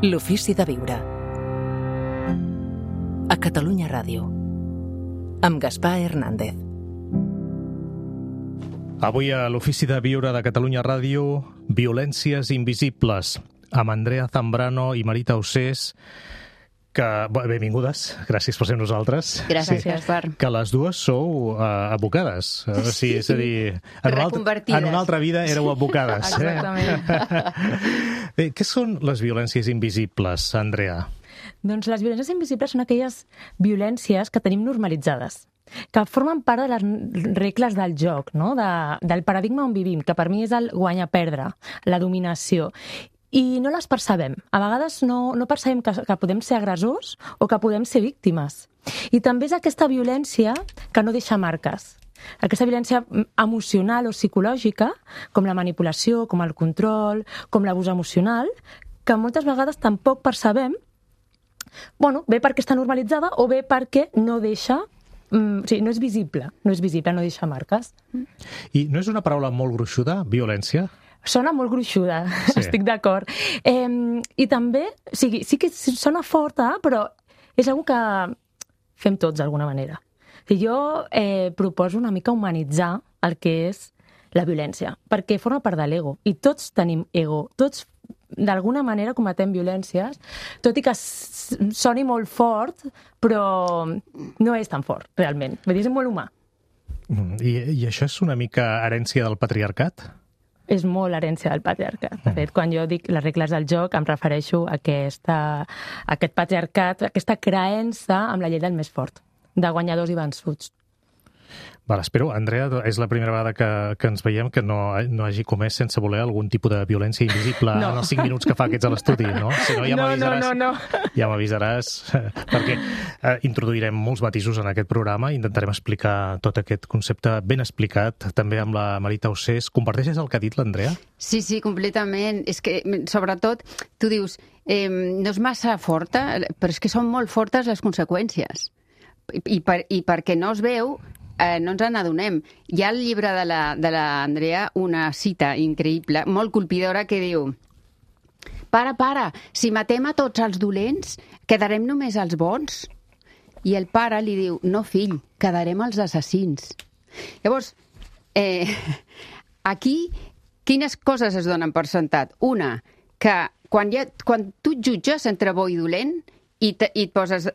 L'ofici de viure. A Catalunya Ràdio. Amb Gaspar Hernández. Avui a l'Ofici de Viure de Catalunya Ràdio, Violències invisibles, amb Andrea Zambrano i Marita Ossés, que, benvingudes, gràcies per ser nosaltres. Gràcies, Gaspar. Que les dues sou advocades. Sí, és a dir, en una altra vida éreu advocades. Exactament. Bé, què són les violències invisibles, Andrea? Doncs les violències invisibles són aquelles violències que tenim normalitzades, que formen part de les regles del joc, no? Del paradigma on vivim, que per mi és el guanyar-perdre, la dominació. I no les percebem. A vegades no percebem que podem ser agressors o que podem ser víctimes. I també és aquesta violència que no deixa marques. Aquesta violència emocional o psicològica, com la manipulació, com el control, com l'abús emocional, que moltes vegades tampoc percebem, bé perquè està normalitzada o bé perquè no deixa... O sigui, no és visible, no deixa marques. I no és una paraula molt gruixuda, violència? Sona molt gruixuda, sí. Estic d'acord. I també, sí que sona forta, però és una que fem tots d'alguna manera. Jo proposo una mica humanitzar el que és la violència, perquè forma part de l'ego, i tots tenim ego, tots d'alguna manera cometem violències, tot i que soni molt fort, però no és tan fort, realment. Vull dir, és molt humà. I això és una mica herència del patriarcat? És molt herència del patriarcat. De fet, quan jo dic les regles del joc, em refereixo a aquest patriarcat, aquesta creença amb la llei del més fort, de guanyadors i vençuts. Vale, espero, Andrea, és la primera vegada que ens veiem que no hagi comès sense voler algun tipus de violència invisible en els 5 minuts que fa aquests a l'estudi, no? Si no, ja m'avisaràs. No. Ja m'avisaràs, perquè introduirem molts matisos en aquest programa, intentarem explicar tot aquest concepte ben explicat, també amb la Marita Ossés. Comparteixes el que ha dit l'Andrea? Sí, completament. És que, sobretot, tu dius, no és massa forta, però és que són molt fortes les conseqüències. I perquè no es veu, no ens n'adonem. Hi ha al llibre de l'Andrea una cita increïble, molt colpidora, que diu: Pare, si matem a tots els dolents, quedarem només els bons? I el pare li diu: no, fill, quedarem els assassins. Llavors, aquí, quines coses es donen per sentat? Una, que quan tu et jutges entre bo i dolent i et poses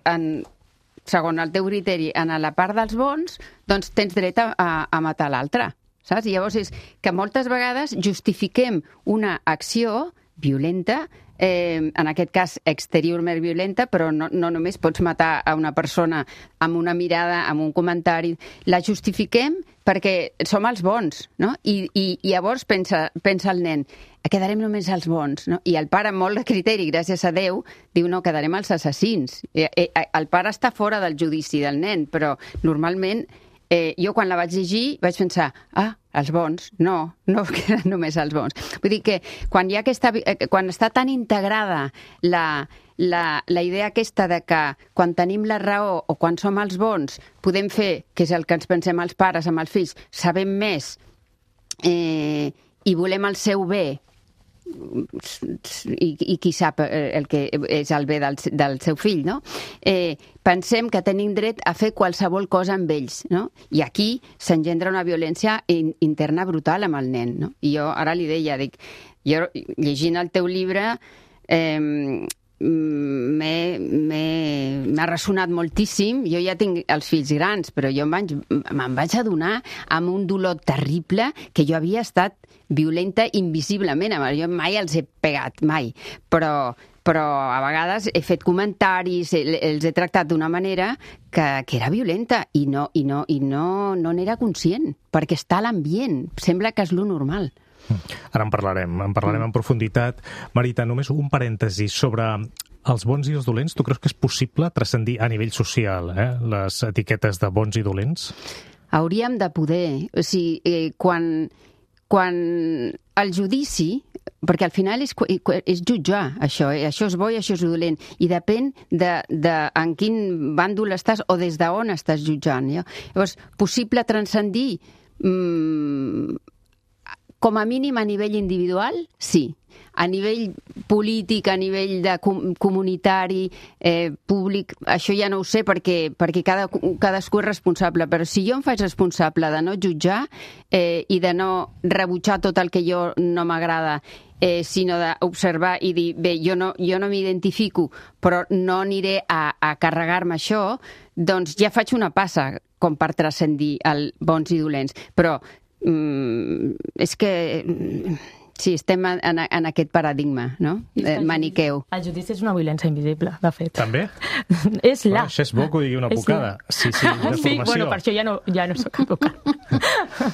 segons el teu criteri, en la part dels bons, doncs tens dret a matar l'altre, saps? I llavors és que moltes vegades justifiquem una acció violenta, en aquest cas exteriorment violenta, però no només pots matar a una persona amb una mirada, amb un comentari, la justifiquem perquè som els bons, no? I llavors pensa el nen, quedarem només els bons, no? I el pare, amb molt de criteri, gràcies a Déu, diu, no, quedarem els assassins. El pare està fora del judici del nen, però normalment jo quan la vaig llegir vaig pensar, els bons, no queden només els bons. Vull dir que quan està tan integrada la idea aquesta de que quan tenim la raó o quan som els bons podem fer, que és el que ens pensem els pares amb els fills, sabem més i volem el seu bé, i qui sap el que és el bé del seu fill, no? Pensem que tenim dret a fer qualsevol cosa amb ells, no? I aquí s'engendra una violència interna brutal amb el nen, no? I jo ara li deia, jo llegint el teu llibre m'ha ressonat moltíssim. Jo ja tinc els fills grans, però jo me'n vaig adonar amb un dolor terrible que jo havia estat violenta invisiblement. Jo mai els he pegat, mai. Però a vegades he fet comentaris, els he tractat d'una manera que era violenta i no n'era conscient, perquè està a l'ambient. Sembla que és lo normal. Ara en parlarem en profunditat. Marita, només un parèntesi sobre els bons i els dolents. Tu creus que és possible transcendir a nivell social les etiquetes de bons i dolents? Hauríem de poder. O sigui, quan el judici, perquè al final és jutjar això, això és bo i això és dolent, i depèn de en quin bàndol estàs o des d'on estàs jutjant. Llavors, possible transcendir com a mínim a nivell individual, sí. a nivell polític, a nivell de comunitari, públic, això ja no ho sé perquè cadascú és responsable, però si jo em faig responsable de no jutjar i de no rebutjar tot el que jo no m'agrada, sinó d'observar i dir, bé, jo no m'identifico, però no aniré a carregar-me això, doncs ja faig una passa com per transcendir el bons i dolents. Però és que sí, estem en aquest paradigma, no? Maniqueu. El judici és una violència invisible, de fet. També? És la. Això és bo que ho digui una advocada. Sí, de formació. Sí, bueno, per això ja no soc advocada.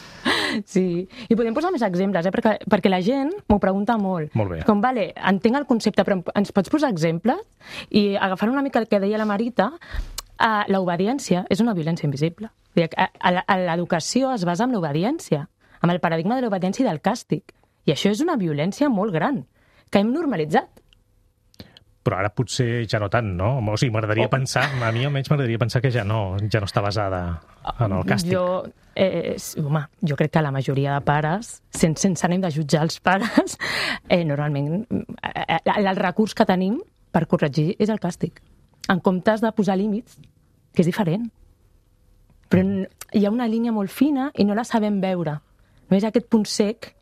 Sí, i podem posar més exemples, perquè la gent m'ho pregunta molt. Molt bé. Com, vale, entenc el concepte, però ens pots posar exemples? I agafant una mica el que deia la Marita, l'obediència és una violència invisible. L'educació es basa en l'obediència, amb el paradigma de l'obediència i del càstig. I això és una violència molt gran, que hem normalitzat. Però ara potser ja no tant, no? O sigui, m'agradaria pensar, a mi almenys m'agradaria pensar que ja no està basada en el càstig. Jo crec que la majoria de pares, sense ànim de jutjar els pares, normalment el recurs que tenim per corregir és el càstig, en comptes de posar límits, que és diferent. Però hi ha una línia molt fina i no la sabem veure. No és aquest punt sec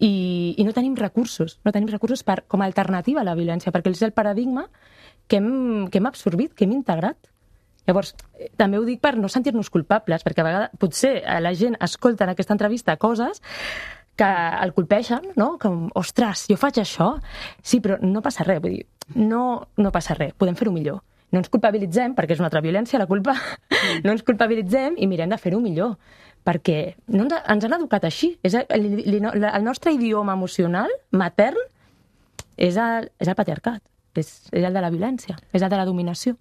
i no tenim recursos. No tenim recursos com a alternativa a la violència, perquè és el paradigma que hem absorbit, que hem integrat. Llavors, també ho dic per no sentir-nos culpables, perquè a vegades potser la gent escolta en aquesta entrevista coses que el colpeixen, no? Com, ostres, jo faig això? Sí, però no passa res, vull dir, no passa res, podem fer-ho millor. No ens culpabilitzem, perquè és una altra violència, la culpa, no ens culpabilitzem i mirem de fer-ho millor, perquè no ens han educat així. El nostre idioma emocional, matern, és el patriarcat, és el de la violència, és el de la dominació.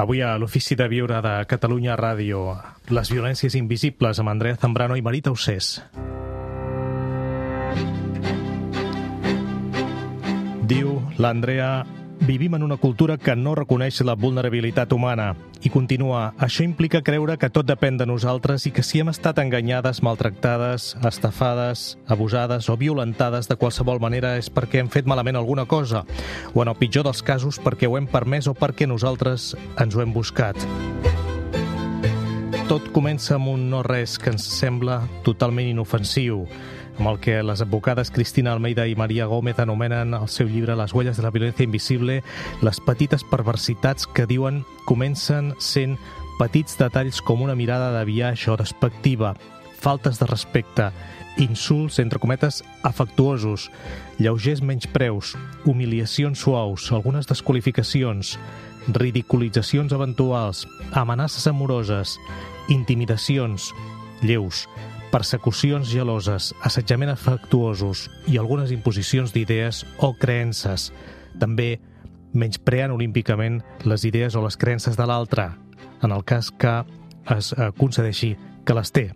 Avui a l'Ofici de Viure de Catalunya Ràdio, les violències invisibles amb Andrea Zambrano i Marita Ossés. Diu l'Andrea: vivim en una cultura que no reconeix la vulnerabilitat humana. I continua: això implica creure que tot depèn de nosaltres i que si hem estat enganyades, maltractades, estafades, abusades o violentades de qualsevol manera és perquè hem fet malament alguna cosa, o en el pitjor dels casos perquè ho hem permès o perquè nosaltres ens ho hem buscat. Tot comença amb un no-res que ens sembla totalment inofensiu, amb el que les advocades Cristina Almeida i Maria Gómez anomenen al seu llibre Les huellas de la violència invisible les petites perversitats que diuen comencen sent petits detalls com una mirada de biaix o despectiva, faltes de respecte, insults, entre cometes, afectuosos, lleugers menyspreus, humiliacions suaus, algunes desqualificacions, ridiculitzacions eventuals, amenaces amoroses, intimidacions lleus, persecucions geloses, assetjament afectuosos i algunes imposicions d'idees o creences. També menyspreant olímpicament les idees o les creences de l'altre, en el cas que es concedeixi que les té.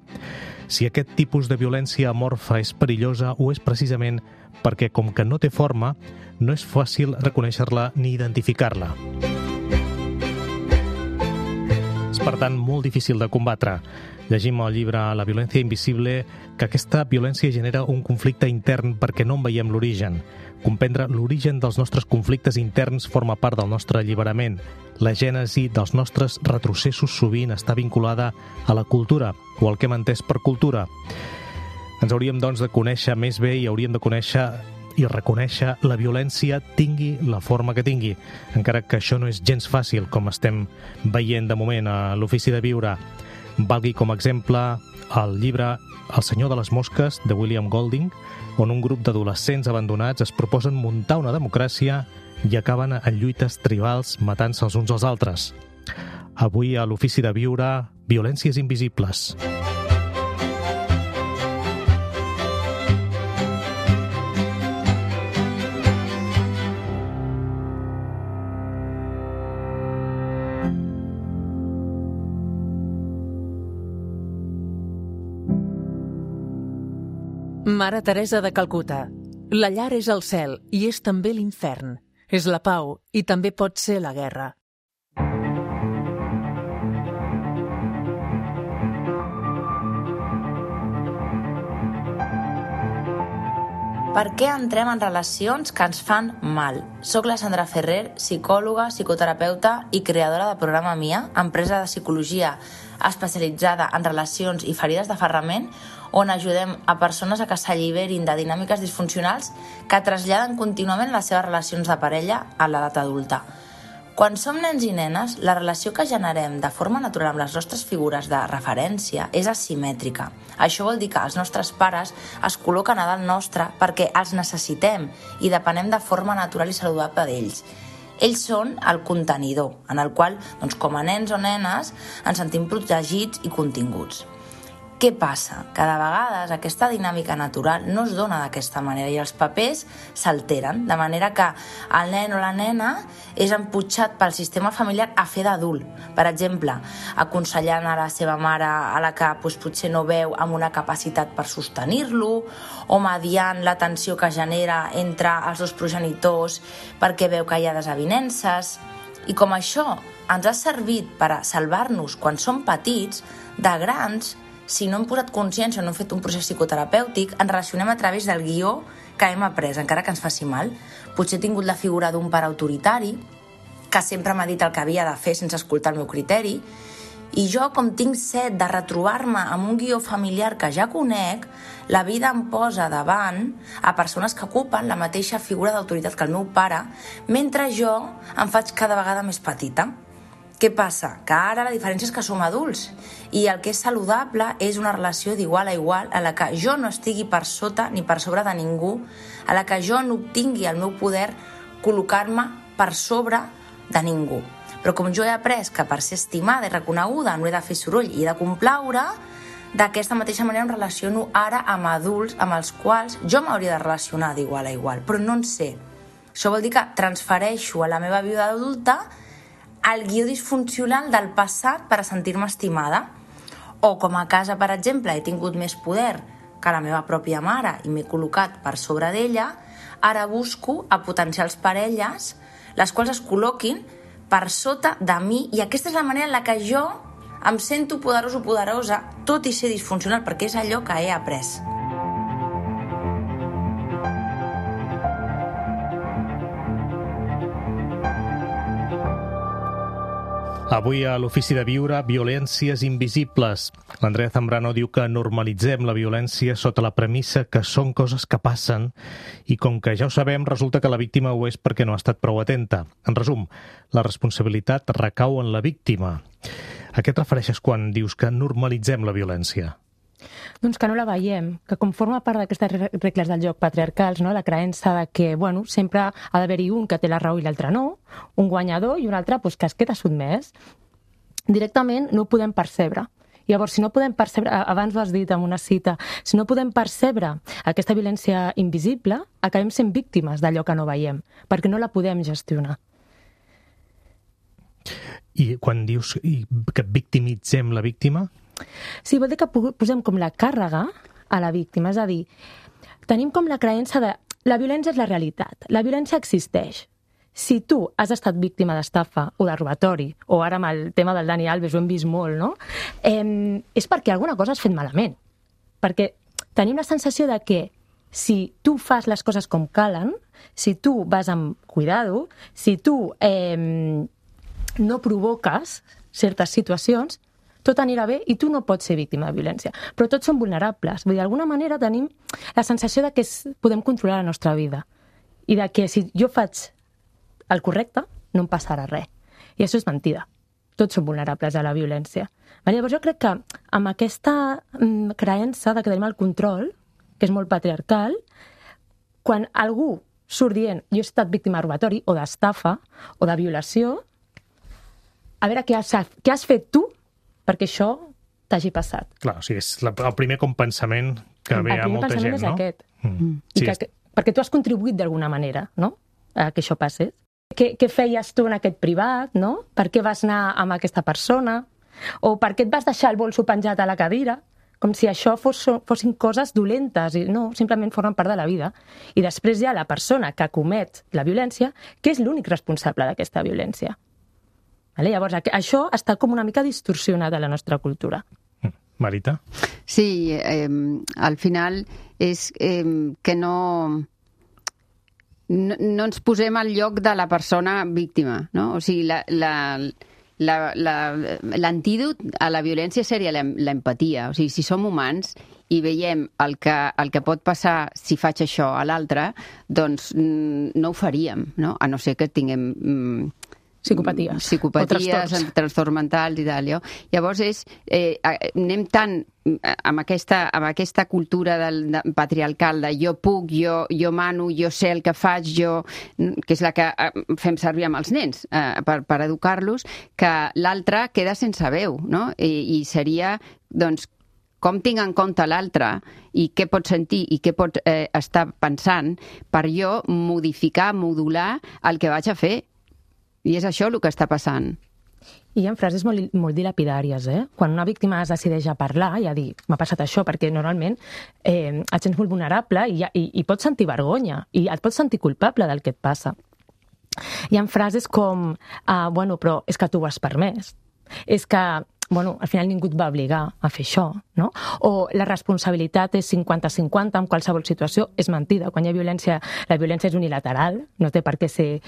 Si aquest tipus de violència amorfa és perillosa, ho és precisament perquè, com que no té forma, no és fàcil reconèixer-la ni identificar-la. És, per tant, molt difícil de combatre. Llegim al llibre La violència invisible que aquesta violència genera un conflicte intern perquè no en veiem l'origen. Comprendre l'origen dels nostres conflictes interns forma part del nostre alliberament. La gènesi dels nostres retrocessos sovint està vinculada a la cultura o al que hem entès per cultura. Ens hauríem, doncs, de conèixer més bé i hauríem de conèixer i reconèixer la violència tingui la forma que tingui, encara que això no és gens fàcil, com estem veient de moment a l'Ofici de Viure. Valgui com a exemple el llibre El senyor de les mosques, de William Golding, on un grup d'adolescents abandonats es proposen muntar una democràcia i acaben en lluites tribals matant-se els uns als altres. Avui a l'Ofici de Viure, violències invisibles. Mare Teresa de Calcuta. La llar és el cel i és també l'infern. És la pau i també pot ser la guerra. Per què entrem en relacions que ens fan mal? Soc la Sandra Ferrer, psicòloga, psicoterapeuta i creadora de Programa Mia, empresa de psicologia especialitzada en relacions i ferides d'aferrament, on ajudem a persones a que s'alliberin de dinàmiques disfuncionals que traslladen contínuament les seves relacions de parella a l'edat adulta. Quan som nens i nenes, la relació que generem de forma natural amb les nostres figures de referència és asimètrica. Això vol dir que els nostres pares es col·loquen a dalt nostre perquè els necessitem i depenem de forma natural i saludable d'ells. Ells són el contenidor, en el qual, com a nens o nenes, ens sentim protegits i continguts. Què passa? Que de vegades aquesta dinàmica natural no es dona d'aquesta manera i els papers s'alteren, de manera que el nen o la nena és emputxat pel sistema familiar a fer d'adult. Per exemple, aconsellant a la seva mare a la que potser no veu amb una capacitat per sostenir-lo, o mediant la tensió que genera entre els dos progenitors perquè veu que hi ha desavinences. I com això ens ha servit per a salvar-nos quan som petits, de grans, si no hem posat consciència o no hem fet un procés psicoterapèutic, ens relacionem a través del guió que hem après, encara que ens faci mal. Potser he tingut la figura d'un pare autoritari, que sempre m'ha dit el que havia de fer sense escoltar el meu criteri, i jo, com tinc set de retrobar-me amb un guió familiar que ja conec, la vida em posa davant a persones que ocupen la mateixa figura d'autoritat que el meu pare, mentre jo em faig cada vegada més petita. Què passa? Que ara la diferència és que som adults i el que és saludable és una relació d'igual a igual a la que jo no estigui per sota ni per sobre de ningú, a la que jo no obtingui el meu poder col·locar-me per sobre de ningú. Però com jo he après que per ser estimada i reconeguda no he de fer soroll i he de complaure, d'aquesta mateixa manera em relaciono ara amb adults amb els quals jo m'hauria de relacionar d'igual a igual, però no en sé. Això vol dir que transfereixo a la meva vida adulta el guió disfuncional del passat per a sentir-me estimada. O com a casa, per exemple, he tingut més poder que la meva pròpia mare i m'he col·locat per sobre d'ella, ara busco a potencials parelles les quals es col·loquin per sota de mi, i aquesta és la manera en la que jo em sento poderós o poderosa, tot i ser disfuncional, perquè és allò que he après. Avui a l'Ofici de Viure, violències invisibles. L'Andrea Zambrano diu que normalitzem la violència sota la premissa que són coses que passen i com que ja ho sabem, resulta que la víctima ho és perquè no ha estat prou atenta. En resum, la responsabilitat recau en la víctima. A què et refereixes quan dius que normalitzem la violència? Doncs que no la veiem, que com forma part d'aquestes regles del joc patriarcals, no? La creença de que sempre ha d'haver-hi un que té la raó i l'altre no, un guanyador i un altre que es queda sotmès, directament no ho podem percebre. Llavors, si no podem percebre, abans ho has dit en una cita, si no podem percebre aquesta violència invisible, acabem sent víctimes d'allò que no veiem, perquè no la podem gestionar. I quan dius que victimitzem la víctima? Sí, vol dir que posem com la càrrega a la víctima, és a dir, tenim com la creença de la violència és la realitat, la violència existeix. Si tu has estat víctima d'estafa o de robatori, o ara amb el tema del Dani Alves ho hem vist molt, no? És perquè alguna cosa has fet malament. Perquè tenim la sensació de que si tu fas les coses com calen, si tu vas amb cuidado, si tu no provoques certes situacions, tot anirà bé i tu no pots ser víctima de violència. Però tots som vulnerables. Vull dir, d'alguna manera tenim la sensació de que podem controlar la nostra vida i de que si jo faig el correcte no em passarà res. I això és mentida. Tots som vulnerables a la violència. Llavors jo crec que amb aquesta creença de que tenim el control, que és molt patriarcal, quan algú surt dient jo he estat víctima de robatori o d'estafa o de violació, a veure què has fet tu perquè això t'hagi passat. Clar, o sigui, és el primer compensament que ve a molta gent, no? El primer pensament és aquest. Perquè tu has contribuït d'alguna manera, no?, a que això passés. Què feies tu en aquest privat, no? Per què vas anar amb aquesta persona? O per què et vas deixar el bolso penjat a la cadira? Com si això fossin coses dolentes. I no, simplement formen part de la vida. I després hi ha la persona que comet la violència, que és l'únic responsable d'aquesta violència. Llavors, això està com una mica distorsionat a la nostra cultura. Marita? Sí, al final és que no ens posem al lloc de la persona víctima, no? O sigui, l'antídot a la violència seria l'empatia. O sigui, si som humans i veiem el que pot passar si faig això a l'altre, doncs no ho faríem, no? A no ser que tinguem psicopaties trastorns mentals i tal. Llavors anem tant amb aquesta cultura patriarcal de jo puc, jo mano, jo sé el que faig, que és la que fem servir amb els nens per educar-los, que l'altre queda sense veu, no? I seria, doncs, com tinc en compte l'altre i què pot sentir i què pot estar pensant per jo modificar, modular el que vaig a fer. I és això el que està passant. I hi ha frases molt dilapidàries, Quan una víctima es decideix a parlar i a dir m'ha passat això, perquè normalment et sents molt vulnerable i pots sentir vergonya i et pots sentir culpable del que et passa. Hi ha frases com bueno, però és que tu ho has permès. És que al final ningú et va obligar a fer això, no? O la responsabilitat és 50-50 en qualsevol situació. És mentida. Quan hi ha violència, la violència és unilateral, no té per què ser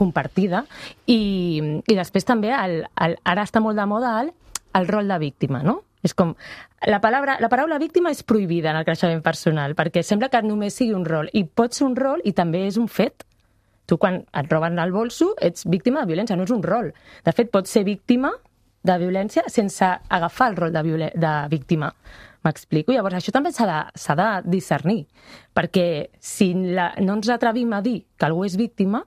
compartida. I després també, ara està molt de moda el rol de víctima, no? És com, la paraula víctima és prohibida en el creixement personal, perquè sembla que només sigui un rol. I pot ser un rol i també és un fet. Tu, quan et roben el bolso, ets víctima de violència, no és un rol. De fet, pots ser víctima de violència sense agafar el rol de víctima. M'explico? Llavors, això també s'ha de discernir, perquè si no ens atrevim a dir que algú és víctima,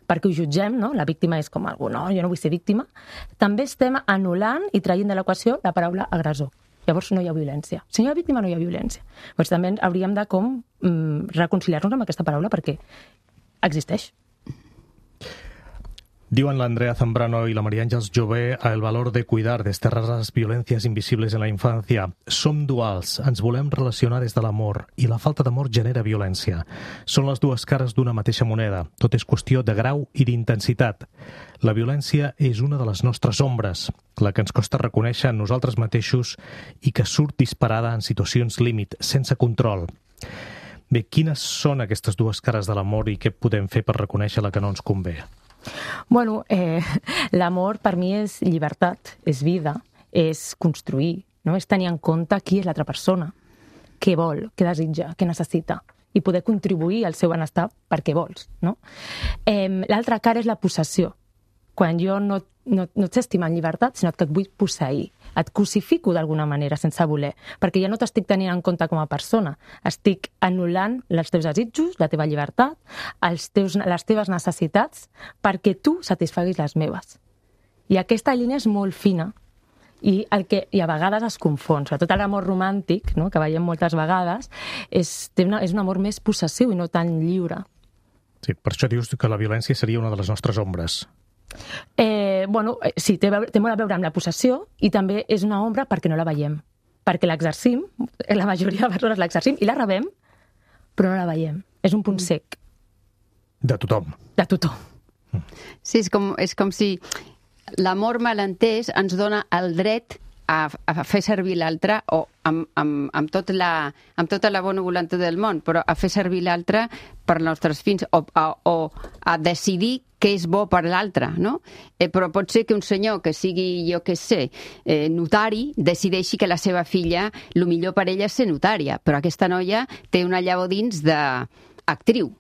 perquè ho jutgem, no? La víctima és com algú, no, jo no vull ser víctima, també estem anul·lant i traient de l'equació la paraula agressor. Llavors no hi ha violència. Si no hi ha víctima, no hi ha violència. Llavors també hauríem de reconciliar-nos amb aquesta paraula perquè existeix. Diuen l'Andrea Zambrano y la María Ángeles Jové el valor de cuidar, desterrar las violencias invisibles en la infancia. Som duals, ens volem relacionar des de l'amor i la falta d'amor genera violència. Són les dues cares d'una mateixa moneda. Tot és qüestió de grau i d'intensitat. La violència és una de les nostres ombres, la que ens costa reconèixer en nosaltres mateixos i que surt disparada en situacions límit, sense control. Bé, quines són aquestes dues cares de l'amor i què podem fer per reconèixer la que no ens convé? Bueno, l'amor per mi és llibertat, és vida, és construir, no? És tenir en compte qui és l'altra persona, què vol, què desitja, què necessita, i poder contribuir al seu benestar perquè vols, no? L'altra cara és la possessió, quan jo no et sé estimar en llibertat, sinó que et vull posseir, et cosifico d'alguna manera sense voler, perquè ja no t'estic tenint en compte com a persona, estic anul·lant els teus desitjos, la teva llibertat, les teves necessitats, perquè tu satisfaguis les meves. I aquesta línia és molt fina i a vegades es confon, sobretot l'amor romàntic, no?, que veiem moltes vegades, és un amor més possessiu i no tan lliure. Sí, per això dius que la violència seria una de les nostres ombres. Sí, té molt a veure amb la possessió i també és una ombra perquè no la veiem, perquè l'exercim, la majoria de persones l'exercim i la rebem, però no la veiem. És un punt sec. De tothom. De tothom. Sí, és com si l'amor malentès ens dona el dret a fer servir l'altre o amb tota la bona voluntat del món, però a fer servir l'altre per als nostres fins o a decidir què és bo per l'altre, no? Però pot ser que un senyor que sigui, jo què sé, notari, decideixi que la seva filla, el millor per ella és ser notària, però aquesta noia té una llavor dins d'actriu.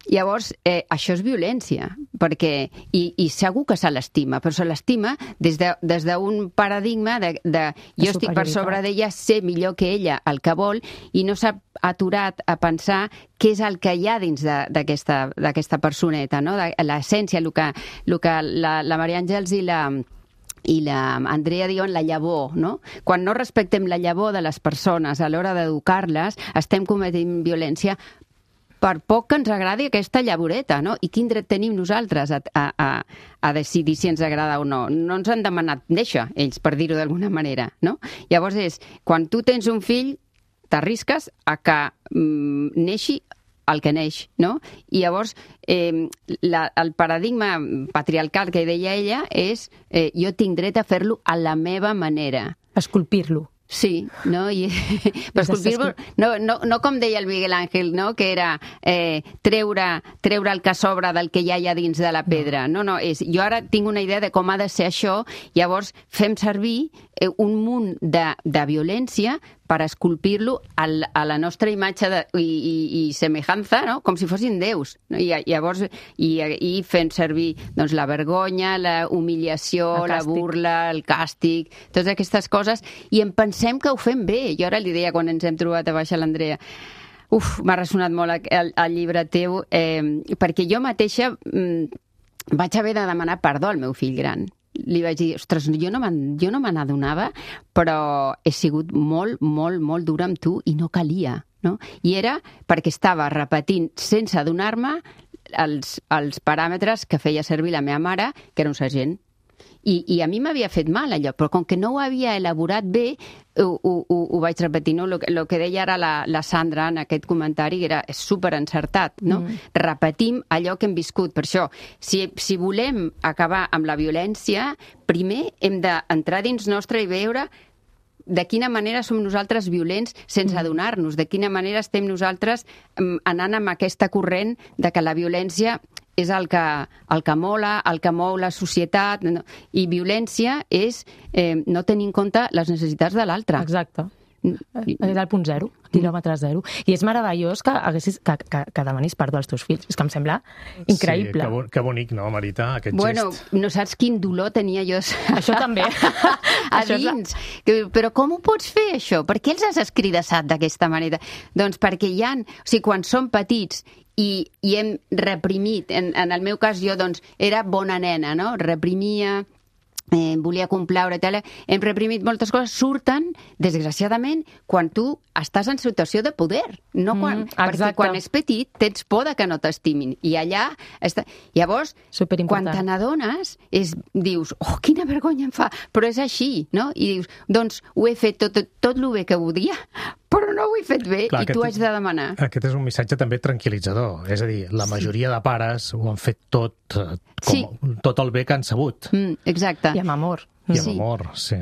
Llavors, això és violència, perquè, i segur que se l'estima, però se l'estima des d'un paradigma de jo estic per sobre d'ella, sé millor que ella el que vol, i no s'ha aturat a pensar què és el que hi ha dins d'aquesta personeta, no? L'essència, el que la Maria Àngels i la Andrea diuen la llavor, no? Quan no respectem la llavor de les persones a l'hora d'educar-les, estem cometent violència per poc que ens agradi aquesta llavoreta, no? I quin dret tenim nosaltres a decidir si ens agrada o no? No ens han demanat néixer, ells, per dir-ho d'alguna manera, no? Llavors quan tu tens un fill, t'arrisques a que neixi el que neix, no? I llavors, el paradigma patriarcal que deia ella és jo tinc dret a fer-lo a la meva manera. Esculpir-lo. Sí, no? Però esculpir-lo, no com deia el Miguel Ángel, no? Que era treure el que sobra del que ja hi ha dins de la pedra. No, jo ara tinc una idea de com ha de ser això, llavors fem servir un munt de violència per esculpir-lo a la nostra imatge i semejança, no? Com si fossin déus. No? I llavors fent servir doncs, la vergonya, la humiliació, la burla, el càstig, totes aquestes coses, i em pensem que ho fem bé. Jo ara li deia quan ens hem trobat a baix a l'Andrea, m'ha ressonat molt el llibre teu, perquè jo mateixa vaig haver de demanar perdó al meu fill gran. Li vaig dir, ostres, jo no me n'adonava, però he sigut molt, molt, molt dura amb tu i no calia, no? I era perquè estava repetint sense adonar-me els paràmetres que feia servir la meva mare, que era un sergent. I a mi m'havia fet mal allò, però com que no ho havia elaborat bé, ho vaig repetir, no? El que deia ara la Sandra en aquest comentari és superencertat, no? Repetim allò que hem viscut. Per això, si volem acabar amb la violència, primer hem d'entrar dins nostre i veure de quina manera som nosaltres violents sense adonar-nos, de quina manera estem nosaltres anant amb aquesta corrent de que la violència és el que mola, el que mou la societat, i violència és no tenir en compte les necessitats de l'altre. Exacte. És el punt zero, quilòmetre zero. I és meravellós que demanis perdó als teus fills. És que em sembla increïble. Sí, que bonic, no, Marita, aquest gest. Bueno, no saps quin dolor tenia jo això també. A dins. Però com ho pots fer, això? Per què els has escridassat d'aquesta manera? Doncs perquè hi ha... O sigui, quan som petits i hem reprimit, en el meu cas jo doncs era bona nena, no? Reprimia, volia complaure, hem reprimit moltes coses, surten, desgraciadament, quan tu estàs en situació de poder, no perquè quan és petit tens por de que no t'estimin, i allà llavors, quan te n'adones dius, oh, quina vergonya em fa, però és així, no? I dius, doncs ho he fet tot el bé que volia, però no ho he fet bé. Clar, i tu haig de demanar. Aquest és un missatge també tranquil·litzador, és a dir, la majoria de pares ho han fet tot el bé que han sabut. Exacte. I amb amor. I amb amor, sí.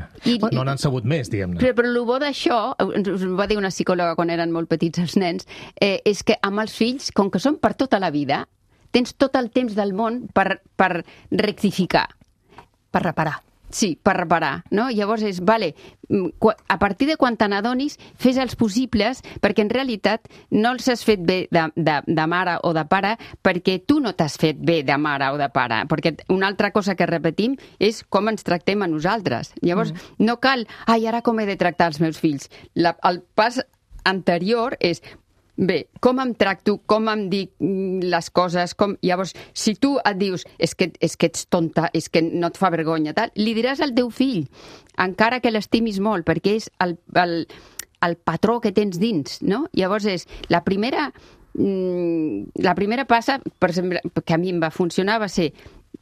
No n'han sabut més, diguem-ne. Però el bo d'això, us va dir una psicòloga quan eren molt petits els nens, és que amb els fills, com que són per tota la vida, tens tot el temps del món per rectificar. Per reparar. Sí, per reparar, no? Llavors és, a partir de quan te n'adonis, fes els possibles, perquè en realitat no els has fet bé de mare o de pare perquè tu no t'has fet bé de mare o de pare, perquè una altra cosa que repetim és com ens tractem a nosaltres. Llavors, no cal, ara com he de tractar els meus fills? El pas anterior és, bé, com em tracto, com em dic les coses, llavors, si tu et dius és que ets tonta, és que no et fa vergonya, li diràs al teu fill, encara que l'estimis molt, perquè és el patró que tens dins, no? Llavors és, la primera passa, per exemple, que a mi em va funcionar, va ser,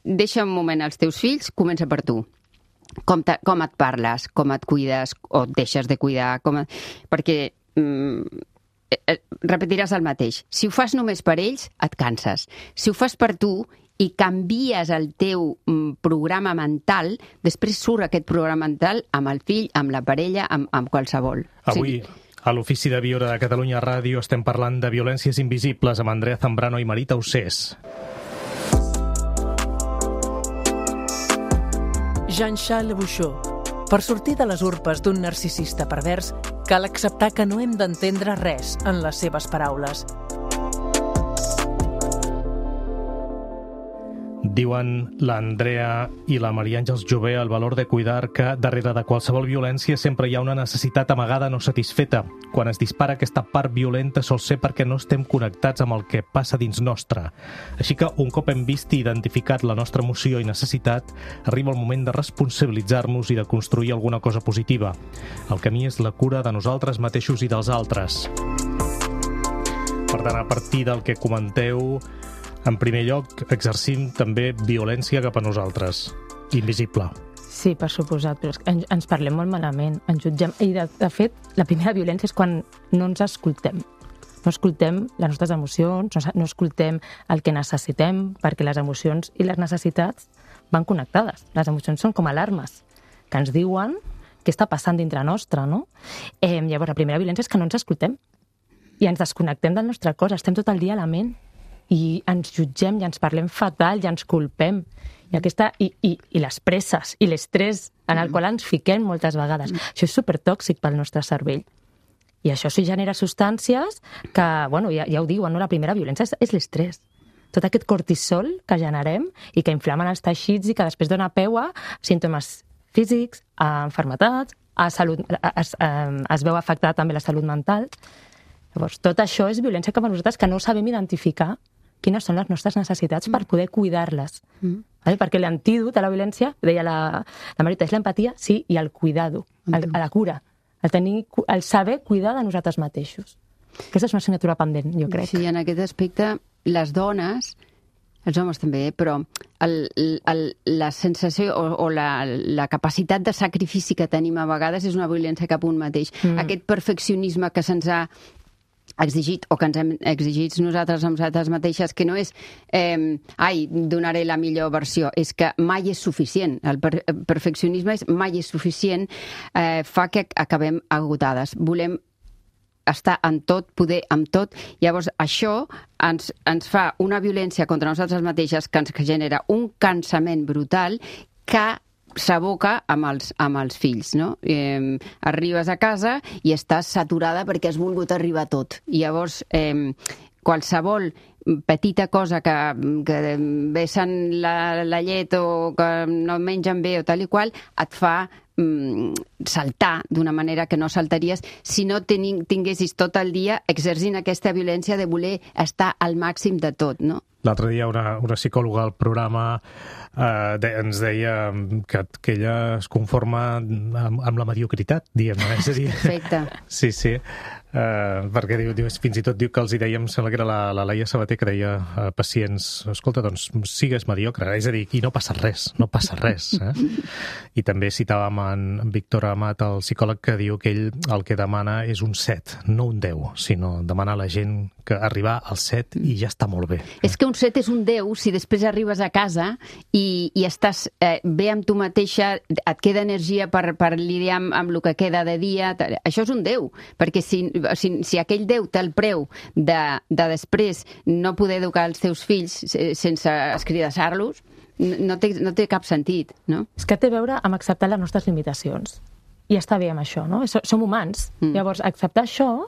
deixa un moment als teus fills, comença per tu. Com et parles, com et cuides, o et deixes de cuidar, perquè repetiràs el mateix. Si ho fas només per ells, et canses. Si ho fas per tu i canvies el teu programa mental, després surt aquest programa mental amb el fill, amb la parella, amb qualsevol. Avui, a l'Ofici de Viure de Catalunya Ràdio, estem parlant de violències invisibles amb Andrea Zambrano i Marita Ossés. Jean-Charles Bouchot. Per sortir de les urpes d'un narcisista pervers, cal acceptar que no hem d'entendre res en les seves paraules. Diuen l'Andrea i la Maria Àngels Jové al Valor de Cuidar que darrere de qualsevol violència sempre hi ha una necessitat amagada no satisfeta. Quan es dispara aquesta part violenta sol ser perquè no estem connectats amb el que passa dins nostre. Així que un cop hem vist i identificat la nostra emoció i necessitat, arriba el moment de responsabilitzar-nos i de construir alguna cosa positiva. El camí és la cura de nosaltres mateixos i dels altres. Per tant, a partir del que comenteu, en primer lloc, exercim també violència cap a nosaltres, invisible. Sí, per suposat, però ens parlem molt malament, ens jutgem. I, de fet, la primera violència és quan no ens escoltem. No escoltem les nostres emocions, no escoltem el que necessitem, perquè les emocions i les necessitats van connectades. Les emocions són com alarmes que ens diuen què està passant dintre nostre, no? Llavors, la primera violència és que no ens escoltem i ens desconnectem del nostre cos, estem tot el dia a la ment i ens jutgem i ens parlem fatal i ens culpem. I les presses i l'estrès en el qual ens fiquem moltes vegades. Això és supertòxic pel nostre cervell. I això sí genera substàncies que, bueno, ja ho diuen, no? La primera violència és l'estrès. Tot aquest cortisol que generem i que inflamen els teixits i que després dona peu a símptomes físics, a malalties, a salut, es veu afectada també la salut mental. Llavors, tot això és violència cap a nosaltres que no sabem identificar quines són les nostres necessitats per poder cuidar-les. Perquè l'antídot a la violència, deia la Marita, és l'empatia, sí, i el cuidado, a la cura. El saber cuidar de nosaltres mateixos. Aquesta és una assignatura pendent, jo crec. Sí, en aquest aspecte, les dones, els homes també, però la sensació o la capacitat de sacrifici que tenim a vegades és una violència cap a un mateix. Aquest perfeccionisme que se'ns ha exigit o que ens hem exigit nosaltres amb nosaltres mateixes, que no és donaré la millor versió, és que mai és suficient. El perfeccionisme és mai és suficient, fa que acabem agotades. Volem estar en tot, poder amb tot. Llavors, això ens fa una violència contra nosaltres mateixes que ens genera un cansament brutal que s'aboca amb els fills, no? Arribes a casa i estàs saturada perquè has volgut arribar a tot. I llavors, qualsevol petita cosa que vessen la llet o que no mengen bé o tal i qual, et fa saltar d'una manera que no saltaries si no tinguessis tot el dia exercint aquesta violència de voler estar al màxim de tot, no? L'altre dia una psicòloga al programa ens deia que ella es conforma amb la mediocritat, diguem-ne. Perfecte. Sí. Perquè fins i tot diu que els hi dèiem, sembla que era la Laia Sabater, que deia a pacients, escolta, doncs sigues mediocre, és a dir, i no passa res. I també citàvem en Víctor Amat, el psicòleg, que diu que ell el que demana és un 7, no un 10, sinó demanar a la gent que arribar al 7 i ja està molt bé. És que un 7 és un 10 si després arribes a casa i estàs bé amb tu mateixa, et queda energia per lidiar amb el que queda de dia. Això és un 10, perquè si aquell 10 té el preu de després no poder educar els teus fills sense escridassar-los, no té cap sentit, no? És que té a veure amb acceptar les nostres limitacions. I està bé amb això, no? Som humans. Llavors, acceptar això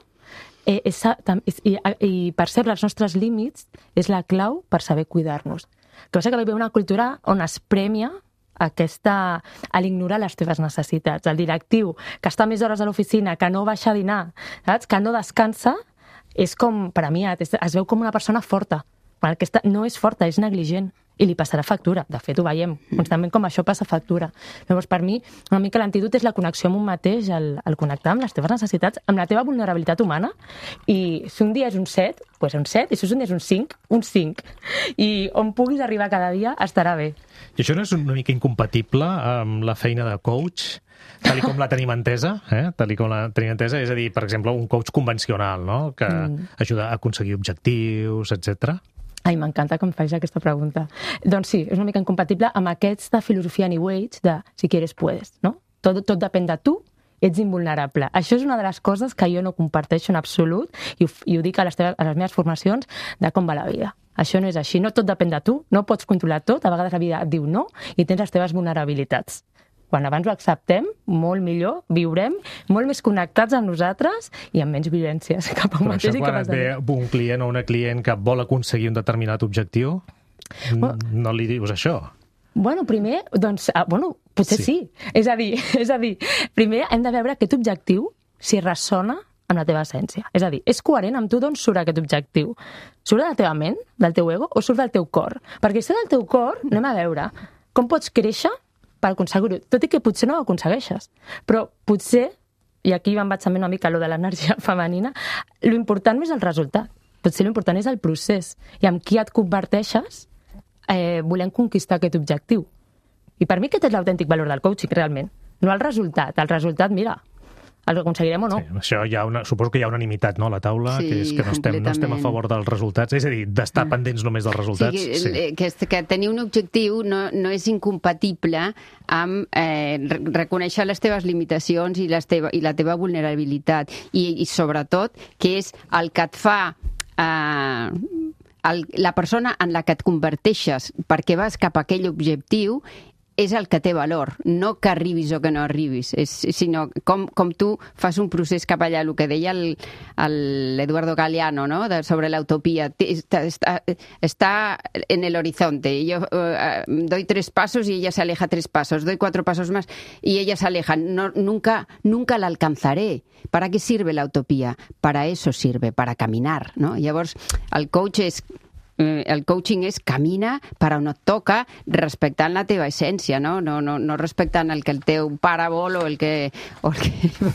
i percebre els nostres límits és la clau per saber cuidar-nos. El que passa que hi ha una cultura on es premia a l'ignorar les teves necessitats. El directiu que està més hores a l'oficina, que no baixa a dinar, saps? Que no descansa, és com premiat, es veu com una persona forta. Quan aquesta no és forta, és negligent. I li passarà factura. De fet, ho veiem constantment com això passa factura. Llavors, per mi, una mica l'antídot és la connexió amb un mateix, el connectar amb les teves necessitats, amb la teva vulnerabilitat humana. I si un dia és un 7, doncs un 7, i si un dia és un 5, un 5. I on puguis arribar cada dia estarà bé. I això no és una mica incompatible amb la feina de coach, tal com la tenim entesa? És a dir, per exemple, un coach convencional, no? Que ajuda a aconseguir objectius, etc. Ai, m'encanta que em facis aquesta pregunta. Doncs sí, és una mica incompatible amb aquesta filosofia New Age de si quieres puedes, no? Tot depèn de tu, ets invulnerable. Això és una de les coses que jo no comparteixo en absolut i ho dic a les meves formacions de com va la vida. Això no és així, no tot depèn de tu, no pots controlar tot, a vegades la vida et diu no i tens les teves vulnerabilitats. Quan abans ho acceptem, molt millor, viurem molt més connectats amb nosaltres i amb menys violències cap a un mateix. Però això quan et ve un client o una client que vol aconseguir un determinat objectiu, no li dius això? Bueno, primer, doncs, potser sí. És a dir, primer hem de veure aquest objectiu si ressona amb la teva essència. És a dir, és coherent amb tu d'on surt aquest objectiu? Surt de la teva ment, del teu ego, o surt del teu cor? Perquè si del teu cor, anem a veure com pots créixer per aconseguir-ho, tot i que potser no ho aconsegueixes. Però potser, i aquí me'n vaig també una mica a lo de l'energia femenina, l'important no és el resultat, potser l'important és el procés, i amb qui et converteixes volem conquistar aquest objectiu. I per mi aquest és l'autèntic valor del coaching, realment. No el resultat. El resultat, mira, el aconseguirem o no. Sí, això suposo que hi ha unanimitat, no?, a la taula, Sí, que és que no estem a favor dels resultats, és a dir, d'estar pendents només dels resultats. Que tenir un objectiu no és incompatible amb reconèixer les teves limitacions i la teva vulnerabilitat. I sobretot, que és el que et fa la persona en la que et converteixes perquè vas cap a aquell objectiu és el que té valor, no que arribis o que no arribis, sinó com tu fas un procés cap allà, el que deia l'Eduardo Galeano, ¿no?, sobre la utopía. Está en el horizonte. Yo doy 3 pasos y ella se aleja 3 pasos, doy 4 pasos más y ella se aleja. Nunca la alcanzaré. ¿Para qué sirve la utopía? Para eso sirve, para caminar, no? Llavors, el coaching és camina per on et toca, respectant la teva essència, no respectant el que el teu pare vol o el que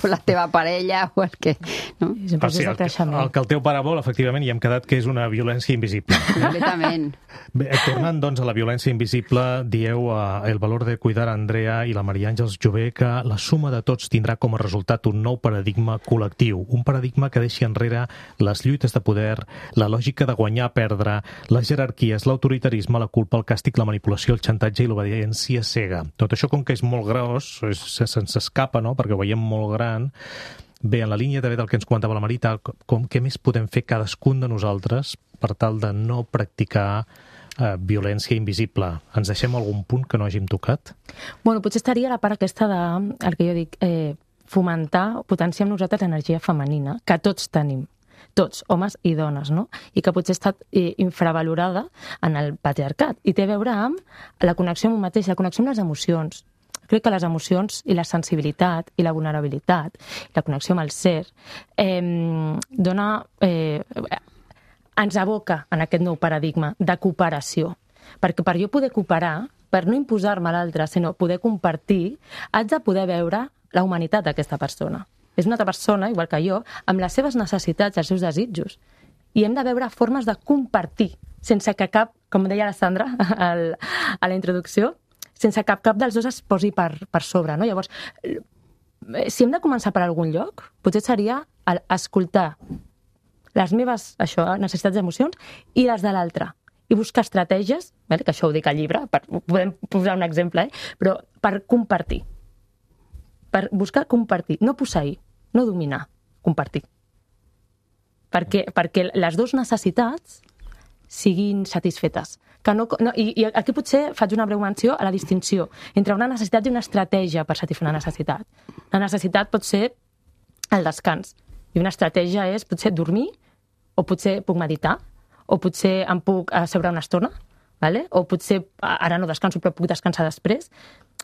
la teva parella o el que... No? El que el teu pare vol, efectivament, i hem quedat que és una violència invisible. Completament. Bé, tornant, doncs, a la violència invisible, dieu El valor de cuidar a Andrea i la Maria Àngels Jové que la suma de tots tindrà com a resultat un nou paradigma col·lectiu, un paradigma que deixi enrere les lluites de poder, la lògica de guanyar-perdre, les jerarquies, l'autoritarisme, la culpa, el càstig, la manipulació, el xantatge i l'obediència cega. Tot això, com que és molt gros, se'ns escapa, no?, perquè ho veiem molt gran. Bé, en la línia també del que ens comentava la Marita, què més podem fer cadascun de nosaltres per tal de no practicar violència invisible? Ens deixem algun punt que no hàgim tocat? Bueno, potser estaria la part aquesta el que jo dic, fomentar, potenciar en nosaltres l'energia femenina, que tots tenim. Tots, homes i dones, no? I que potser ha estat infravalorada en el patriarcat. I té a veure amb la connexió amb un mateix, la connexió amb les emocions. Crec que les emocions i la sensibilitat i la vulnerabilitat, la connexió amb el ser, ens aboca en aquest nou paradigma de cooperació. Perquè per jo poder cooperar, per no imposar-me a l'altre, sinó poder compartir, haig de poder veure la humanitat d'aquesta persona. És una altra persona, igual que jo, amb les seves necessitats, els seus desitjos. I hem de veure formes de compartir, sense que cap, com deia la Sandra a la introducció, sense que cap dels dos es posi per sobre, no? Llavors, si hem de començar per algun lloc, potser seria escoltar les meves necessitats d'emocions i les de l'altre. I buscar estratègies, que això ho dic al llibre, podem posar un exemple, però per compartir. Per buscar compartir, no posseir, no dominar, compartir. Perquè les dues necessitats siguin satisfetes. I aquí potser faig una breu menció a la distinció entre una necessitat i una estratègia per satisfer una necessitat. La necessitat pot ser el descans, i una estratègia és potser dormir, o potser puc meditar, o potser em puc asseure una estona, o potser ara no descanso però puc descansar després.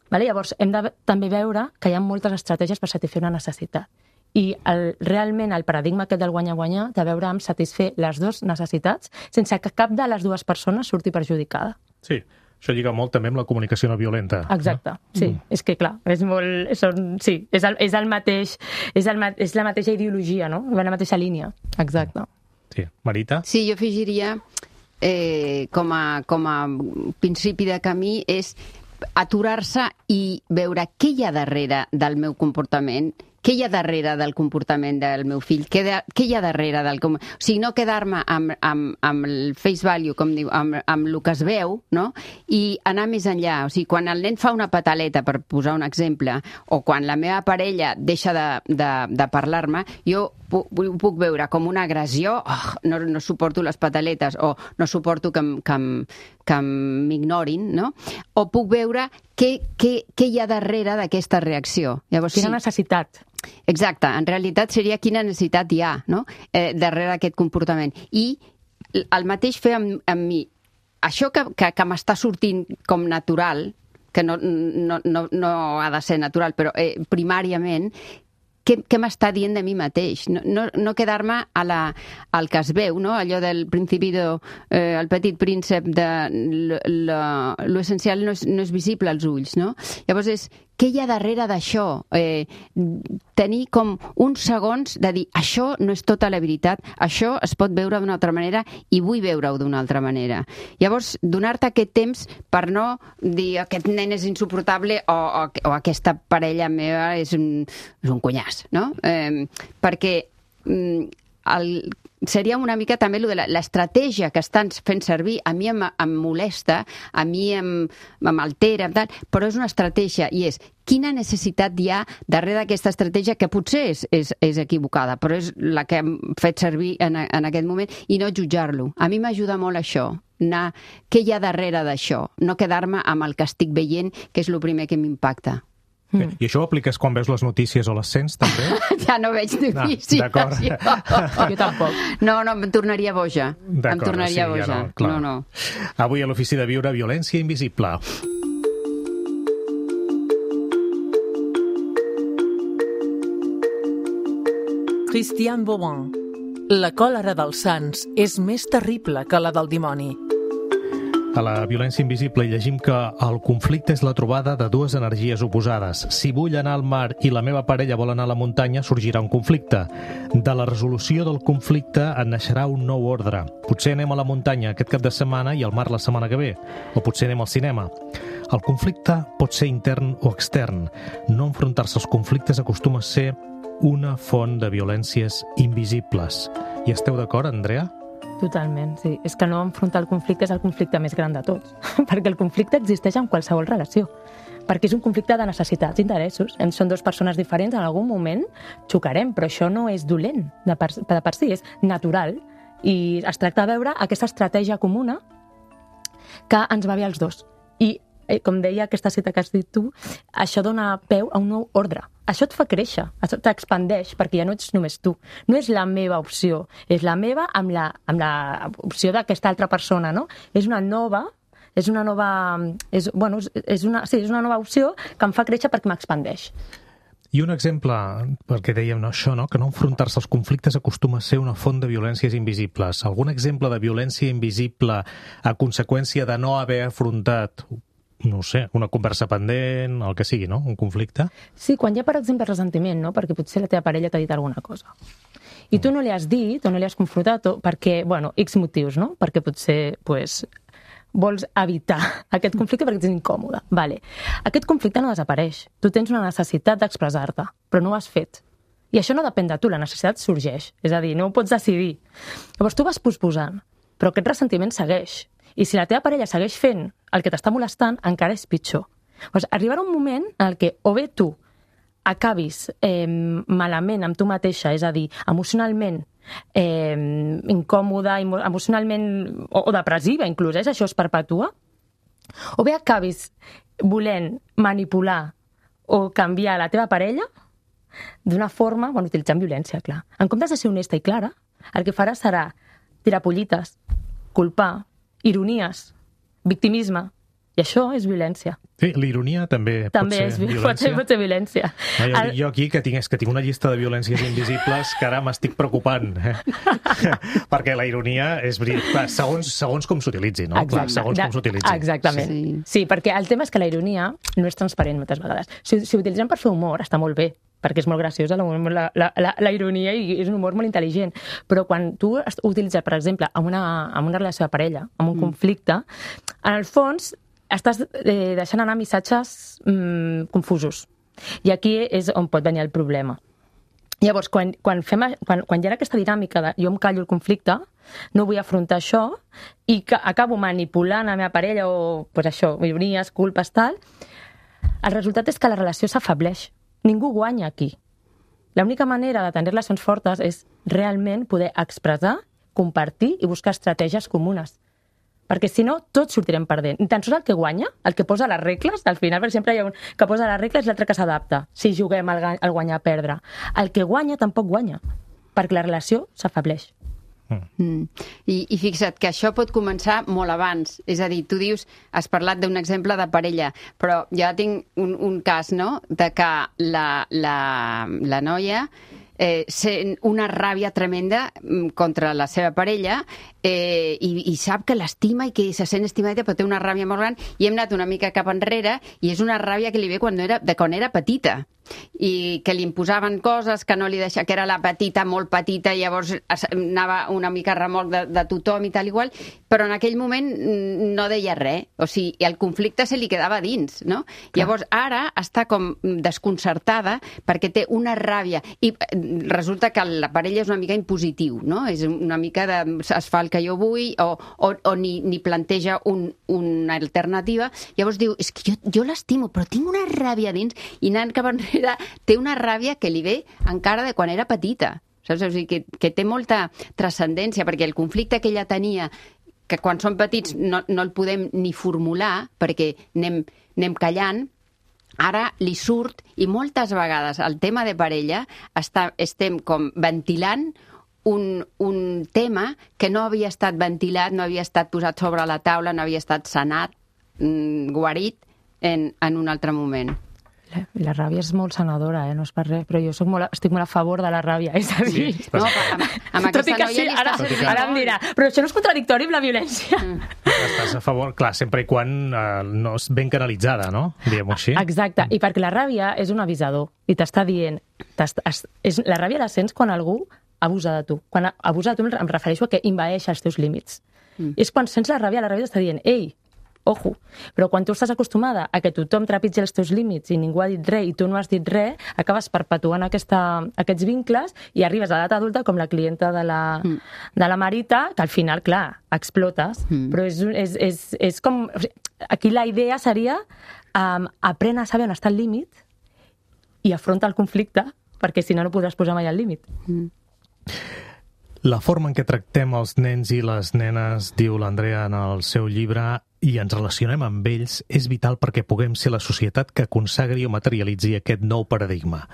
Llavors, hem de també veure que hi ha moltes estratègies per satisfer una necessitat. I realment el paradigma aquest del guanyar-guanyar té a veure amb satisfer les dues necessitats sense que cap de les dues persones surti perjudicada. Sí, això lliga molt també amb la comunicació no violenta. Exacte, sí. És que clar, és la mateixa ideologia, no? La mateixa línia. Exacte. Sí. Marita? Sí, jo afegiria com a principi de camí és aturar-se i veure què hi ha darrere del meu comportament, què hi ha darrere del comportament del meu fill, què hi ha darrere del... O sigui, no quedar-me amb el face value, com diu, amb el que es veu, no? I anar més enllà. O sigui, quan el nen fa una pataleta, per posar un exemple, o quan la meva parella deixa de parlar-me, jo ho puc veure com una agressió, no suporto les pataletes, o no suporto que m'ignorin, no? O puc veure què hi ha darrere d'aquesta reacció. Llavors, quina necessitat. Exacte, en realitat seria quina necessitat hi ha, no?, darrere aquest comportament. I el mateix fer amb mi. Això que m'està sortint com natural, que no ha de ser natural, però primàriament, què m'està dient de mi mateix? No quedar-me al que es veu, no? Allò del principi el petit príncep de l'essencial no és visible als ulls, no? Llavors és què hi ha darrere d'això? Tenir com uns segons de dir, això no és tota la veritat, això es pot veure d'una altra manera i vull veure-ho d'una altra manera. Llavors, donar-te aquest temps per no dir aquest nen és insuportable o aquesta parella meva és un cunyàs, no? Perquè seria una mica també l'estratègia que estan fent servir. A mi em molesta, a mi m'altera, però és una estratègia i és quina necessitat hi ha darrere d'aquesta estratègia que potser és equivocada, però és la que hem fet servir en aquest moment i no jutjar-lo. A mi m'ajuda molt això, anar què hi ha darrere d'això, no quedar-me amb el que estic veient, que és el primer que m'impacta. I això ho apliques quan veus les notícies o les sents, també? Ja no veig notícies. D'acord. Jo tampoc. No, em tornaria boja. Em tornaria boja. Ja no. Avui a l'Ofici de Viure, violència invisible. Christian Bobin. La còlera dels sants és més terrible que la del dimoni. A la violència invisible hi llegim que el conflicte és la trobada de dues energies oposades. Si vull anar al mar i la meva parella vol anar a la muntanya, sorgirà un conflicte. De la resolució del conflicte en naixerà un nou ordre. Potser anem a la muntanya aquest cap de setmana i al mar la setmana que ve. O potser anem al cinema. El conflicte pot ser intern o extern. No enfrontar-se als conflictes acostuma a ser una font de violències invisibles. Hi esteu d'acord, Andrea? Totalment, sí. És que no enfrontar el conflicte és el conflicte més gran de tots. Perquè el conflicte existeix en qualsevol relació. Perquè és un conflicte de necessitats i interessos. Són dues persones diferents, en algun moment xocarem, però això no és dolent de per si, és natural. I es tracta de veure aquesta estratègia comuna que ens va bé als dos. I, com deia aquesta cita que has dit tu, això dona peu a un nou ordre. Això et fa créixer, això t'expandeix, perquè ja no ets només tu. No és la meva opció, és la meva amb la opció d'aquesta altra persona, no? És una nova opció que em fa créixer perquè m'expandeix. I un exemple, perquè dèiem això, no? Que no enfrontar-se als conflictes acostuma a ser una font de violències invisibles. Algun exemple de violència invisible a conseqüència de no haver afrontat, no sé, una conversa pendent, el que sigui, no? Un conflicte? Sí, quan hi ha, per exemple, ressentiment, no? Perquè potser la teva parella t'ha dit alguna cosa. I tu no li has dit o no li has confrontat perquè, X motius, no? Perquè potser, vols evitar aquest conflicte perquè ets incòmode. Vale. Aquest conflicte no desapareix. Tu tens una necessitat d'expressar-te, però no ho has fet. I això no depèn de tu, la necessitat sorgeix. És a dir, no ho pots decidir. Llavors tu vas posposant, però aquest ressentiment segueix. I si la teva parella segueix fent el que t'està molestant, encara és pitjor. Llavors, arribarà un moment en què o bé tu acabis malament amb tu mateixa, és a dir, emocionalment incòmoda, emocionalment o depressiva inclús, això es perpetua, o bé acabis volent manipular o canviar la teva parella d'una forma, utilitzant violència, clar. En comptes de ser honesta i clara, el que faràs serà tirar pollites, culpar, ironies, victimisme, i això és violència. Sí, l'ironia també pot ser violència. Pot ser violència. Jo aquí que tinc una llista de violències invisibles que ara m'estic preocupant. Perquè la ironia és segons com s'utilitzi, no? Exacte. Segons com s'utilitzi. Exactament. Sí, perquè el tema és que la ironia no és transparent moltes vegades. Si ho utilitzem per fer humor, està molt bé, perquè és molt graciosa la ironia i és un humor molt intel·ligent. Però quan tu ho utilitzes, per exemple, amb una relació de parella, amb un conflicte, en el fons estàs deixant anar missatges confusos. I aquí és on pot venir el problema. Llavors, quan hi ha aquesta dinàmica de jo em callo el conflicte, no vull afrontar això, i que acabo manipulant la meva parella o ironies, culpes, tal, el resultat és que la relació s'afableix. Ningú guanya aquí. L'única manera de tenir relacions fortes és realment poder expressar, compartir i buscar estratègies comunes. Perquè si no, tots sortirem perdent. Ni tan sols el que guanya, el que posa les regles, al final, per exemple, hi ha un que posa les regles i l'altre que s'adapta, si juguem al guanyar-perdre. El que guanya tampoc guanya, perquè la relació s'afableix. I fixa't que això pot començar molt abans. És a dir, tu dius, has parlat d'un exemple de parella, però jo tinc un cas, no?, de que la noia sent una ràbia tremenda contra la seva parella i sap que l'estima i que se sent estimadeta, però té una ràbia molt gran, i hem anat una mica cap enrere, i és una ràbia que li ve quan era petita, i que li imposaven coses que no li deixava, que era la petita, molt petita, i llavors anava una mica a remolc de tothom i tal igual, però en aquell moment no deia res, o sigui, el conflicte se li quedava dins, no? Clar. Llavors ara està com desconcertada perquè té una ràbia, i resulta que la parella és una mica impositiu, no? És una mica de es fa el que jo vull, o ni planteja una alternativa, llavors diu, és que jo l'estimo, però tinc una ràbia dins, i anant cap enrere té una ràbia que li ve encara de quan era petita. Saps? O sigui, que té molta transcendència, perquè el conflicte que ella tenia, que quan som petits no el podem ni formular, perquè anem callant, ara li surt, i moltes vegades el tema de parella estem com ventilant un tema que no havia estat ventilat, no havia estat posat sobre la taula, no havia estat sanat, guarit en un altre moment. La ràbia és molt sanadora, no és per res, però jo estic molt a favor de la ràbia, és a dir... Sí, no, amb aquesta noia ara em dirà, però això no és contradictori amb la violència. Estàs a favor, clar, sempre i quan no és ben canalitzada, no? Diguem-ho així. Exacte, i perquè la ràbia és un avisador, i t'està dient... La ràbia la sents quan algú abusa de tu. Quan abusa de tu em refereixo a que envaeix els teus límits. És quan sents la ràbia t'està dient, ei, ojo, però quan tu estàs acostumada a que tothom trepitgi els teus límits i ningú ha dit res i tu no has dit res, acabes perpetuant aquests vincles i arribes a l'edat adulta com la clienta de la Marita, que al final, clar, explotes, però és com... Aquí la idea seria aprèn a saber on està el límit i afronta el conflicte, perquè si no, no podràs posar mai el límit. La forma en què tractem els nens i les nenes, diu l'Andrea en el seu llibre, i ens relacionem amb ells, és vital perquè puguem ser la societat que consagri o materialitzi aquest nou paradigma.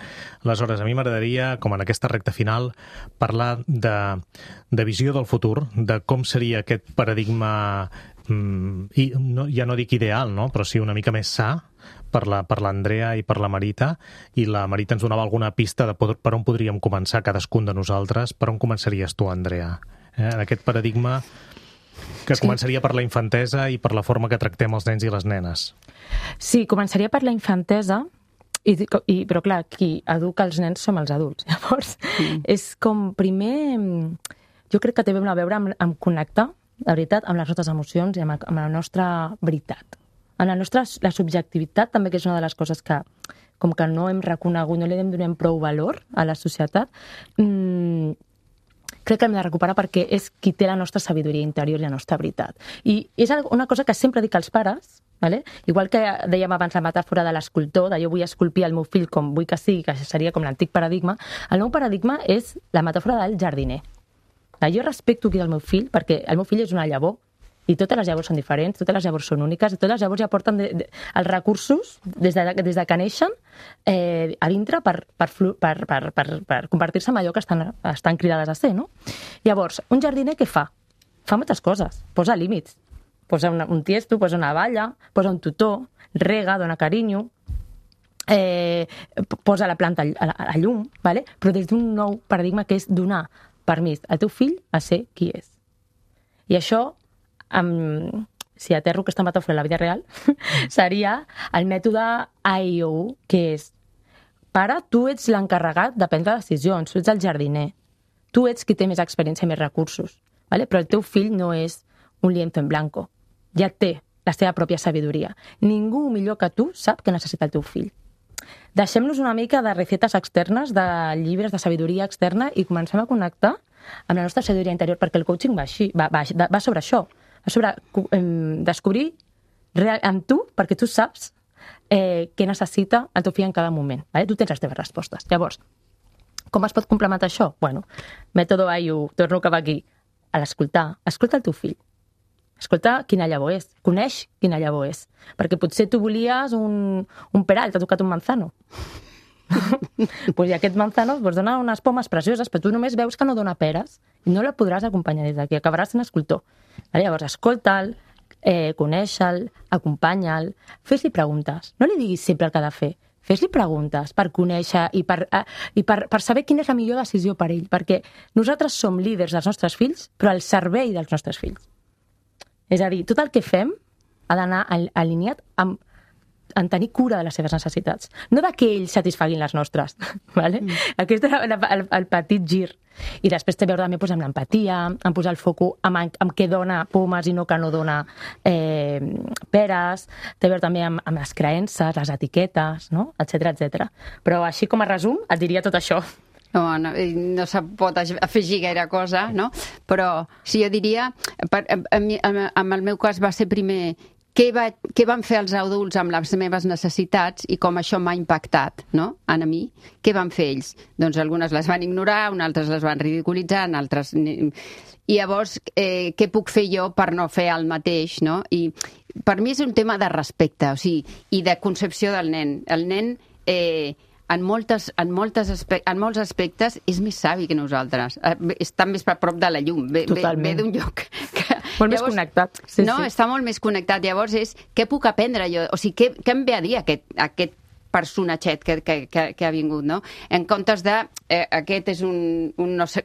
Aleshores, a mi m'agradaria, com en aquesta recta final, parlar de visió del futur, de com seria aquest paradigma, i ja no dic ideal, no? Però sí una mica més sa, per l'Andrea i per la Marita, i la Marita ens donava alguna pista de per on podríem començar cadascun de nosaltres. Per on començaries tu, Andrea? En aquest paradigma que començaria per la infantesa i per la forma que tractem els nens i les nenes. Sí, començaria per la infantesa, però clar, qui educa els nens som els adults. Llavors, és com primer... Jo crec que té a veure amb connectar, de veritat, amb les nostres emocions i amb la nostra veritat. En la subjectivitat també, que és una de les coses que com que no hem reconegut, no li donem prou valor a la societat, crec que hem de recuperar perquè és qui té la nostra sabidoria interior i la nostra veritat. I és una cosa que sempre dic als pares, vale? Igual que dèiem abans la metàfora de l'escultor, de jo vull esculpir el meu fill com vull que sigui, que seria com l'antic paradigma, el nou paradigma és la metàfora del jardiner. Jo respecto qui és el meu fill, perquè el meu fill és una llavor, i totes les llavors són diferents, totes les llavors són úniques, i totes les llavors ja porten els recursos des de que neixen a dintre per convertir-se en allò que estan cridades a ser, no? Llavors, un jardiner què fa? Fa moltes coses, posa límits, posa un tiesto, posa una valla, posa un tutor, rega, dona carinyo, posa la planta a llum, ¿vale? Però des d'un nou paradigma que és donar permís al teu fill a ser qui és. I això, si aterro aquesta metàfora a la vida real, seria el mètode AIOU, que és: pare, tu ets l'encarregat de prendre decisions, tu ets el jardiner, tu ets qui té més experiència i més recursos, ¿vale? Però el teu fill no és un lienzo en blanco, ja té la seva pròpia sabidoria. Ningú millor que tu sap què necessita el teu fill. Deixem-nos una mica de recetes externes, de llibres de sabidoria externa, i comencem a connectar amb la nostra sabidoria interior, perquè el coaching va sobre això, va sobre descobrir en tu, perquè tu saps què necessita el teu fill en cada moment. Vale? Tu tens les teves respostes. Llavors, com es pot complementar això? Bueno, mètode AIU, torno cap aquí, a l'escoltar. Escolta el teu fill. Escolta quina llavor és. Coneix quina llavor és. Perquè potser tu volies un peral, t'ha tocat un manzano. Pues, i aquest manzano dona unes pomes precioses, però tu només veus que no dona peres i no la podràs acompanyar des d'aquí, acabaràs sent escultor. Llavors, escolta'l, coneix-el, acompanya'l, fes-li preguntes. No li diguis sempre el que ha de fer. fes-li preguntes per conèixer i per saber quina és la millor decisió per ell, perquè nosaltres som líders dels nostres fills, però al servei dels nostres fills. És a dir, tot el que fem ha d'anar alineat en tenir cura de les seves necessitats. No de que ells satisfaguin les nostres. Vale? Aquest és el petit gir. I després té a veure també amb l'empatia, en posar el foco amb què dona pomes i no que no dona peres, té a veure també amb les creences, les etiquetes, no? Etcètera. Però així com a resum et diria tot això. No se pot afegir gaire cosa, no? Però sí, jo diria, en el meu cas va ser primer què van fer els adults amb les meves necessitats i com això m'ha impactat, no?, a mi. Què van fer ells? Doncs algunes les van ignorar, unes altres les van ridiculitzar, altres... I llavors, què puc fer jo per no fer el mateix, no? I per mi és un tema de respecte, o sigui, i de concepció del nen. El nen... En molts aspectes és més savi que nosaltres. Està més a prop de la llum. Ve d'un lloc que... Molt més connectat. Sí, no, està molt més connectat. Llavors és, què puc aprendre jo? O sigui, què em ve a dir aquest personatget que ha vingut, no? En comptes de, aquest és un no sé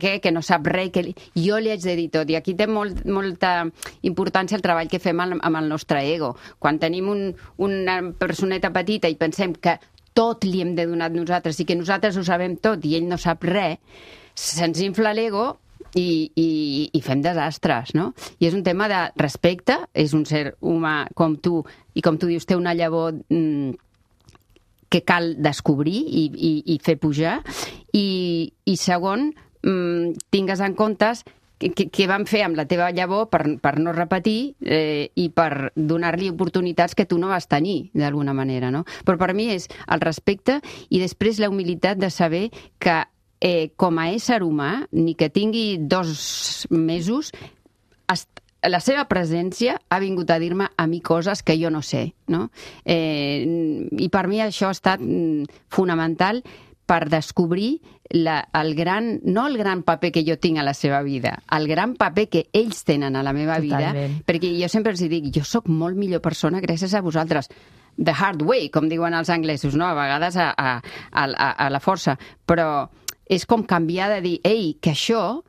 què, que no sap res, que jo li haig de dir tot. I aquí té molta importància el treball que fem amb el nostre ego. Quan tenim una personeta petita i pensem que tot li hem de donar nosaltres i que nosaltres ho sabem tot i ell no sap res, se'ns infla l'ego i fem desastres, no? I és un tema de respecte, és un ser humà com tu, i com tu dius, té una llavor que cal descobrir i fer pujar, i segon, tingues en compte què van fer amb la teva llavor per no repetir i per donar-li oportunitats que tu no vas tenir, d'alguna manera, no? Però per mi és el respecte i després la humilitat de saber que com a ésser humà, ni que tingui 2 mesos, la seva presència ha vingut a dir-me a mi coses que jo no sé, no? I per mi això ha estat fonamental per descobrir no el gran paper que jo tinc a la seva vida, el gran paper que ells tenen a la meva vida, perquè jo sempre els dic, jo sóc molt millor persona gràcies a vosaltres. The hard way, com diuen els anglesos, no? A vegades a la força, però és com canviar de dir, ei, que això...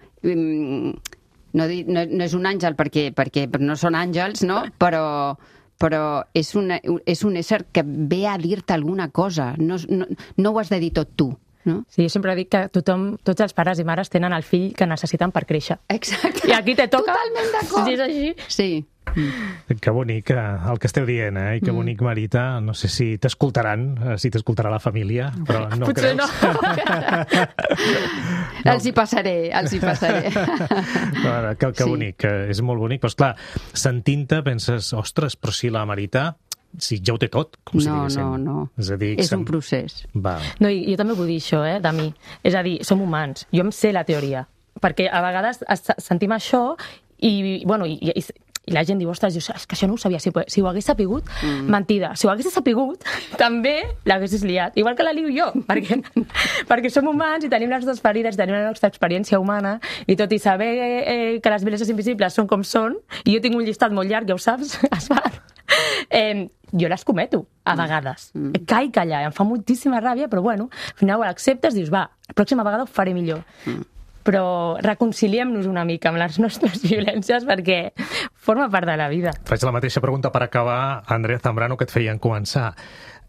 No és un àngel perquè no són àngels, no? Però és un ésser que ve a dir-te alguna cosa. No ho has de dir tot tu. No? Sí, jo sempre dic que tots els pares i mares tenen el fill que necessiten per créixer. Exacte. I aquí te toca. Totalment d'acord. Si és així. Sí. Que bonic el que esteu dient, I que bonic, Marita. No sé si t'escoltaran, si t'escoltarà la família, però no potser creus? No. Els hi passaré. Que bonic, és molt bonic. Però, esclar, sentint-te penses, ostres, però si la Marita... Si ja ho té tot, com si diguéssim. No. És a dir, és un procés. Va. No, i jo també vull dir això, de mi. És a dir, som humans. Jo em sé la teoria. Perquè a vegades sentim això i la gent diu, ostres, és que això no ho sabia. Si ho hagués sapigut, mentida. Si ho hagués sapigut, també l'haguessis liat. Igual que la lio jo, perquè som humans i tenim les nostres ferides, tenim la nostra experiència humana, i tot i saber que les violències invisibles són com són, i jo tinc un llistat molt llarg, ja ho saps, jo les cometo, a vegades. Caic allà, em fa moltíssima ràbia, però bueno, al final ho acceptes, dius, va, la pròxima vegada ho faré millor. Però reconciliem-nos una mica amb les nostres violències perquè forma part de la vida. Faig la mateixa pregunta per acabar, Andrea Zambrano, que et feien començar.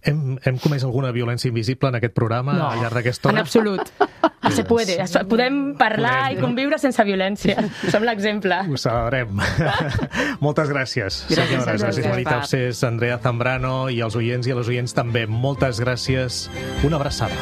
Hem comès alguna violència invisible en aquest programa al llarg d'aquesta hora? En absolut. Se puede. Podem parlar i conviure sense violència. Som l'exemple. Ho celebrem. Moltes gràcies, senyores. Gràcies, Marita Absés, Andrea Zambrano, i als oients i a les oients també. Moltes gràcies. Una abraçada.